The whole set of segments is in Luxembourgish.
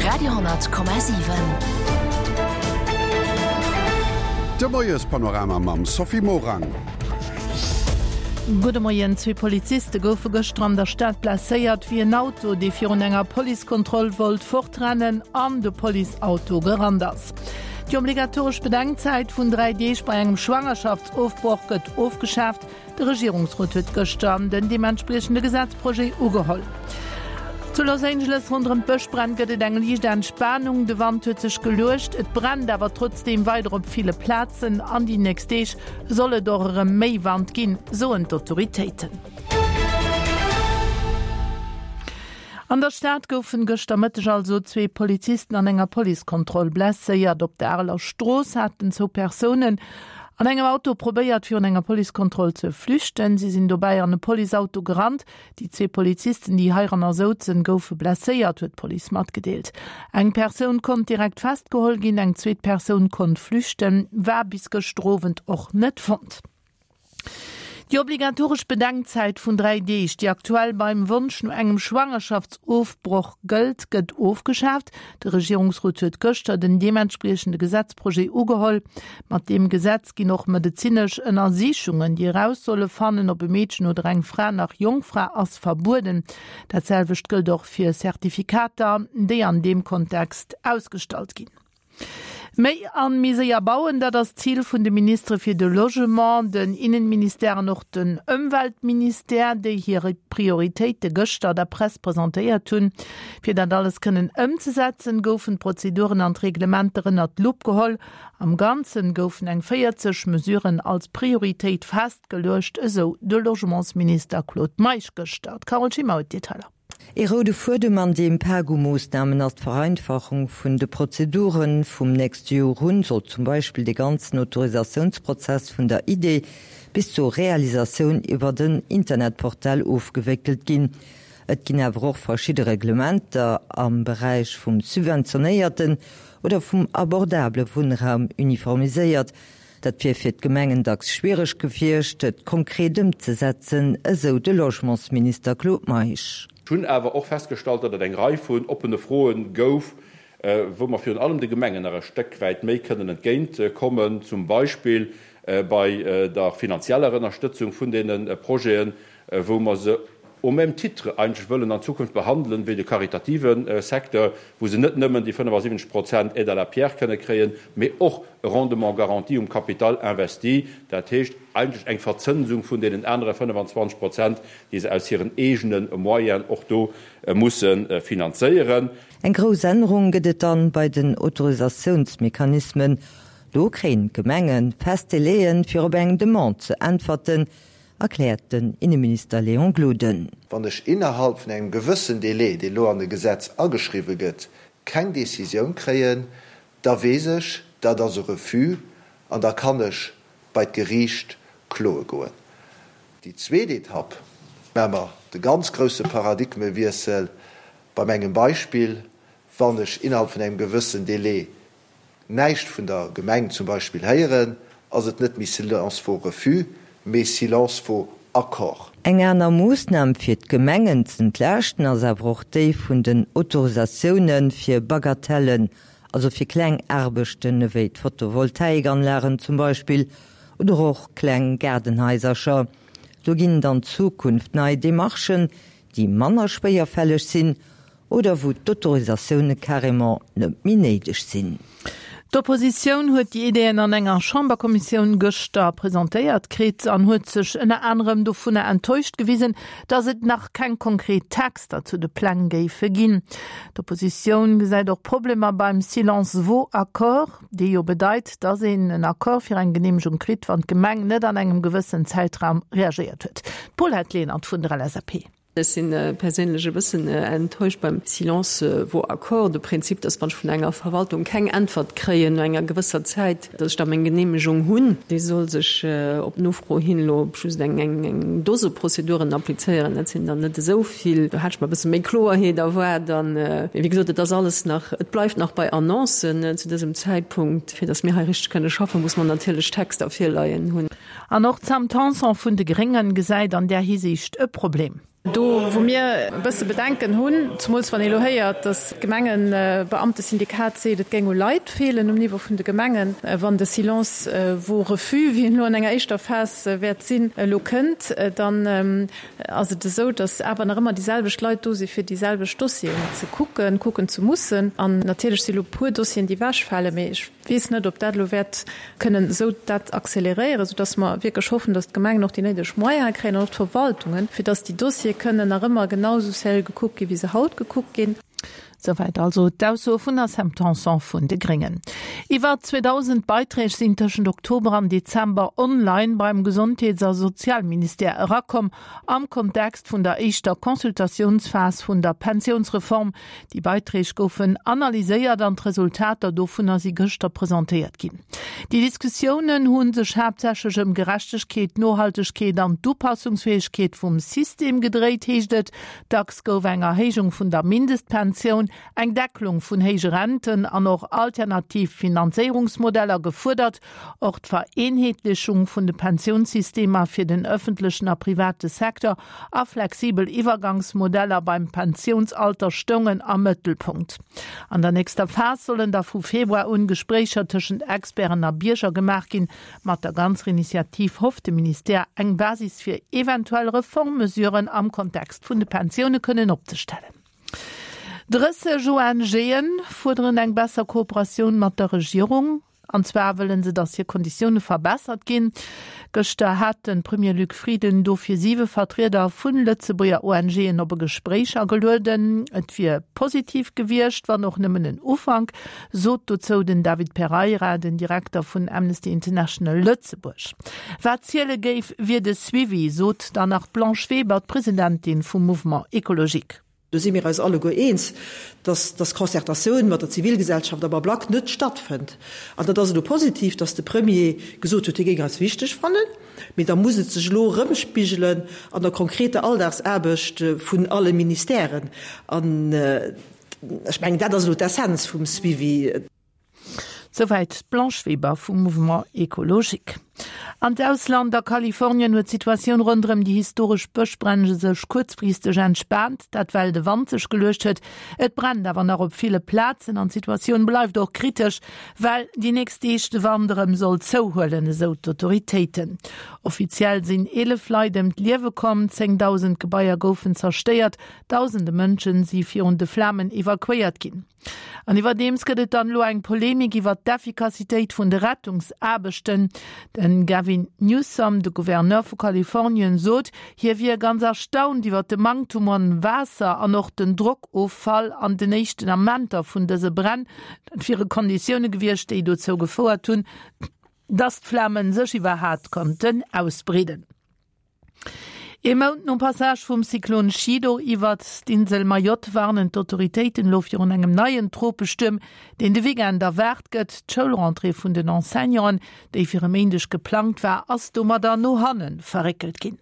Radio,7. De Moiespanorama mam Sophie Morang. Gudde Moien. Zwee Poliziste goufe gëschter an der Stad blesséiert, wéi en Auto, dee virun enger Policekontroll wollt fortrennen, an de Policeauto gerannt ass. Déi obligatoresch Bedenkzäit vun 3 Deeg bei engem Schwangerschaftsofbroch gëtt ofgeschaaft. De Regierungsrot huet gëschter den deementspriechende Gesetzprojet ugeholl. Zu Los Angeles ronderëm d'Bëschbränn gëtt et eng liicht Entspanung. De Wand huet sech geluecht, et brennt awer trotzdeem weider op ville Plazen. An déi nächst Deeg soll et och erëm méi Wand ginn, soen d'Autoritéiten. An der Stad goufen gëschter Mëtteg also zwee Polizisten an enger Policekontroll blesséiert. Op der Areler Strooss haten zwou Persounen an engem Auto probéiert, virun enger Policekontroll ze flüchten. Si sinn dobäi an e Policeauto gerannt. Déi zwee Polizisten, déi heiranner souzen, goufe blesséiert, huet d'Police matgedeelt. Eng Persoun konnt direkt festgeholl ginn, eng zweet Persoun konnt flüchten, war bis gëschter Owend och net fonnt. Déi obligatoresch Bedenkzäit vun 3 Deeg, déi aktuell beim Wonsch no engem Schwangerschaftsofbroch gëllt, gëtt ofgeschaaft. De Regierungsrot huet gëschter den deementspriechende Gesetzprojet ugeholl. Mat deem Gesetz ginn och medezinesch Ënnersichungen, déi eraus solle fannen, ob e Meedchen oder eng Fra nach Jongfra ass, verbueden. Dat selwecht gëllt och fir Zertifikater, déi an deem Kontext ausgestallt ginn. Méi an méi séier bauen, dat ass d'Zil vun de Ministere fir de Logement, den Innenministère an och den Ëmweltministère, déi hir Prioritéite gëschter der Press presentéiert hunn. Fir dat alles kënnen ëmzesetzen, goufen d'Prozeduren an d'Reglementer ënnert d'Lupp geholl. Am Ganzen goufen eng 40 Mesuren als Prioritéit festgeluecht, esou de Logementsminister Claude Meisch gëschter. D'Carole Schimmer huet d'Detailer. Ee roude Fuedem an deem Pak u Moossnamen ass d'Vereinfachung vun de Prozeduren. Vum nächste Joer un soll zum Beispill de ganzen Autorisatiounsprozess vun der Idee bis zur Realisatioun iwwert en Internetportal ofgewéckelt ginn. Et ginn awer och verschidde Reglementer am Beräich vum subventionéierten oder vum abordabele Wunnraum uniformiséiert. Dat wier fir d'Gemengen dacks schwiereg gewiescht, et konkret ëmzesetzen, esou de Logementsminister Claude Meisch. Ech hunn awer och festgestallt, datt et eng Rei vun oppene Froe gouf, wou mer virun allem de Gemengen nach e Stéck wäit méi kënnen entgéint kommen, zum Beispill bei der finanzieller Ënnerstëtzung vun deene Projeten, wou mer se au même titre eigentlech wëllen an Zukunft behandelen wéi de karitative Secteur, wou se net nëmmen déi 75 Prozent Aide à la pierre kënne kréien, mee och e Rendement garanti um Capital investi, dat heescht eigentlech eng Verzënsung vun deenen anere 25 Prozent, déi se aus hiren eegene Moyenen och do musse finanzéieren. Eng grouss Ännerung gëtt et dann bei den Autorisatiounsmechanismen. Do kréien d'Gemenge fest Délaië fir op eng Demande ze äntwerten, erkläert den Inneminister Léon Gloden. Wann ech innerhalb vun engem gewëssen Délai, dee lo an de Gesetz ageschriwwe gëtt, keng Décisioun kréien, da weess ech, dat ass e Refus an da kann ech bei d'Geriicht kloe goen. Déi zweet Etapp maache mer de ganz grousse Paradigmewiessel beim engem Beispill, Wann ech innerhalb vun engem gewëssen Délai näischt vun der Gemeng zum Beispill héieren, ass et net méi Silence vaut refus, mee Silence vaut accord. Eng aner Moossnam fir d'Gemengen z'entlaaschten ass awer och déi vun den Autorisatioune fir Bagatellen, also fir kleng Aarbechten ewéi d'Photovoltaikanlagen zum Beispill oder och kleng Gaardenhaisercher. Do ginn et an Zukunft nei Demarchen, déi manner schwéierfälleg sinn oder wou d'Autorisatioune carrément net méi néideg sinn. D'Oppositioun huet déi Ideeën an enger Chamberkommissioun gëschter presentéiert kritt an huet sech ënner anerem dovunner enttäuscht gewisen, datt et nach keng konkret Texter zu de Pläng géife ginn. D'Oppositioun gesäit och Problemer beim Silence vaut accord, dee jo bedeit, datt een en Accord fir eng Geneemegung kritt, wann d'Gemeng net an engem gewëssen Zäitraum reagéiert huet. D'Paulette Lenert vun der LSAP. Ech si perséinlech e bëssen enttäuscht beim Silence vaut accord, de Prinzip, dass wann ech vun enger Verwaltung keng Äntwert kréien no enger gewësser Zäit, dass ech da meng Genehmegung hunn. Déi soll sech op Nofro hin elo op just eng Dose Prozeduren applizéieren. Dat sinn der net esou vill. Do hat ech mer e bësse méi Kloerheet erwaart. An, mee wéi gesot, et ass alles nach, et bleift nach bei Annoncen zu dësem Zäitpunkt. Fir dass mir hei richteg kënne schaffen, muss mer natierlech Texter virleien hunn. An och d'Sam Tanson vun de Gréngen gesäit an där Hisiicht e Problem. Do, wou mir e bësse Bedenken hunn, zemools wann ee elo héiert, datt d'Gemengebeamtesyndikat seet, et géing u Leit feelen um Niveau vun de Gemengen, wann de Silence vaut refus, wéi en elo an enger éischter Phas wäert sinn, elo kënnt, dann ass et esou, datt awer nach ëmmer déi selwecht Leit do si fir déi selwecht Dossieren ze kucken, kucken ze mussen. An natierlech si elo e puer Dossieren, déi ewechfalen, mee ech weess net, ob dat elo wäert kënnen esou dat accéléréieren, soudass mer wierklech hoffen, dass d'Gemengen och déi néideg Moyene kréien an och d'Verwaltungen, fir dass déi Dossiere kënnen nach ëmmer genau esou sérieux gekuckt ginn, wéi se haut gekuckt ginn. Souwäit also d'Aussoe vun der Sam Tanson vun de Gréngen. Iwwer 2.000 Beiträg sinn tëschent Oktober an Dezember online beim Gesondheets a Sozialministère erakomm, am Kontext vun der éischter Consultatiounsphas vun der Pensiounsreform. Déi Beiträg goufen analyséiert an d'Resultater dovunner si gëschter presentéiert ginn. Déi Diskussiounen hu sech haaptsächlech ëm Gerechtegkeet, Nohaltegkeet an d'Upassungsfäegkeet vum System gedréit, heescht et. Dacks gouf eng Erhéijung vun der Mindestpensioun, eng Deckelung vun héije Renten an och alternativ Finanzéierungsmodeller gefuerdert. Och d'Vereenheetlechung vun de Pensiounssystemer fir den ëffentlechen a private Secteur a flexibel Iwwergangsmodeller beim Pensiounsalter stoungen am Mëttelpunkt. An der nächster Phas sollen da vu Februar un Gespréicher tëschent Experten a Bierger gemaach ginn. Mat der ganzer Initiativ hofft de Ministère, eng Basis fir eventuell Reformmesuren am Kontext vun de Pensioune kënnen opzestellen. 30 ONGe fuerderen eng besser Kooperatioun mat der Regierung. An zwar wëllen se, datt hir Konditioune verbessert ginn. Gëschter hat de Premier Luc Frieden dofir siwe Vertrieder vun Lëtzebuerger ONGen op e Gespréich agelueden. Et wier positiv gewiescht, wann och nëmmen en Ufank, sot dozou den David Pereira, den Direkter vun Amnesty International Lëtzebuerg. Wat ziele géif, wier de Suivi, sot dann nach d'Blanche Weber, d'Presidentin vum Mouvement Ecologique. Do si mir eis alleguer eens, dass dass Concertatioun mat der Zivilgesellschaft am Ablack net stattfënnt. An dat ass elo positiv, dass de Premier gesot huet, hie géing eis wichteg fannen, mee da muss et sech elo erëmspigelen an der konkreter Alldagsaarbecht vun alle Ministèren. An ech mengen, dat ass elo d'Essenz vum Suivi. Souwäit d'Blanche Weber vum Mouvement Ecologique. An d'Ausland, A Kalifornien huet d'Situatioun ronderëm déi historesch Bëschbränn sech kuerzfristeg entspaant, dat well de Wand sech geluecht huet. Et brennt awer nach op ville Plazen an d'Situatioun bleift och kritesch, well déi nächst Deeg de Wand erëm soll zouhuelen, esou d'Autoritéiten. Offiziell sinn 11 Leit ëm d'Liewe komm, 10.000 Gebaier goufen zerstéiert, dausende Mënschen si virun de Flamen evakuéiert ginn. An iwwerdeems gëtt et dann elo eng Polemik iwwer d'Effikassitéit vun de Rettungsaarbechten. Den Gavin Newsom, de Gouverneur vu Kalifornien, sot, hie wier ganz erstaunt iwwer de Manktum un Waasser an och den Drockoffall an den éischten Amenter vun dëse Bränn. Dat wiere Konditioune gewiescht, déi dozou gefouert hunn, datt d'Flamen sech iwwerhaat konnten ausbreeden. Ee Mount nom Passage vum Zyklon Chido iwwert d'Insel Mayotte warnen d'Autoritéiten elo virun engem neien Tropestuerm, deen de Weekend erwaart gëtt. D'Schoulrentrée vun den Enseignanten, déi fir e Méindeg geplangt war, ass domadder no hanne verréckelt ginn.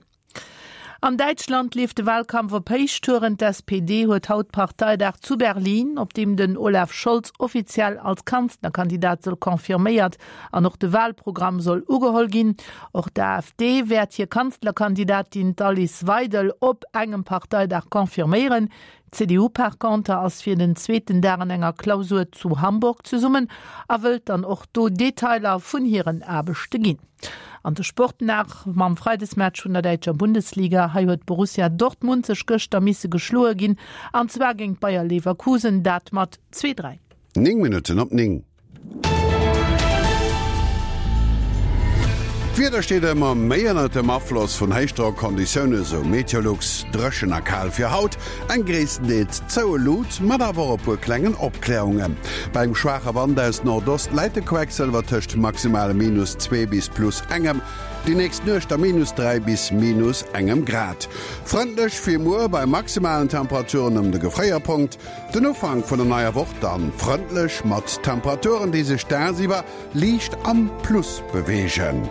An Däitschland leeft de Walkampf op Héichtouren. D'SPD huet haut Parteidag zu Berlin, op deem den Olaf Scholz offiziell als Kanzlerkandidat soll confirméiert An och de Wahlprogramm soll ugeholl ginn. Och d'AfD wäert hir Kanzlerkandidatin, d'Alice Weidel, op engem Parteidag confirméieren. D'CDU par conter ass fir den zweeten Dag an enger Klausur zu Hamburg zesummen a wëllt dann och do Detailer vun hiren Aarbechte ginn. An de Sport nach mam Freidesmatch vun der däitscher Bundesliga. Hei huet Borussia Dortmund sech gëschter misse geschloe ginn, an zwar géint Bayer Leverkusen, dat mat 2, 3. 9 Minutten op 9. D'Wieder steet ëmmer méi ënnert dem Afloss vun Héichdrockonditioune, sou Meteolux. Dréchen a kal fir haut, eng gréisstendeels zoue Lut, mat awer och e puer klengen Opklärungen. Bei engem schwaache Wand aus Nordost läit de Quecksëlwer tëscht maximale minus 2 bis plus engem, déi nächst Nuecht da minus 3 bis minus engem Grad. Frëndlech fir muer bei maximalen Temperaturen ëm de Gefréierpunkt. Den Ufank vun der neier Woch dann frëndlech mat Temperaturen, déi sech dagsiwwer liicht am Plus beweegen.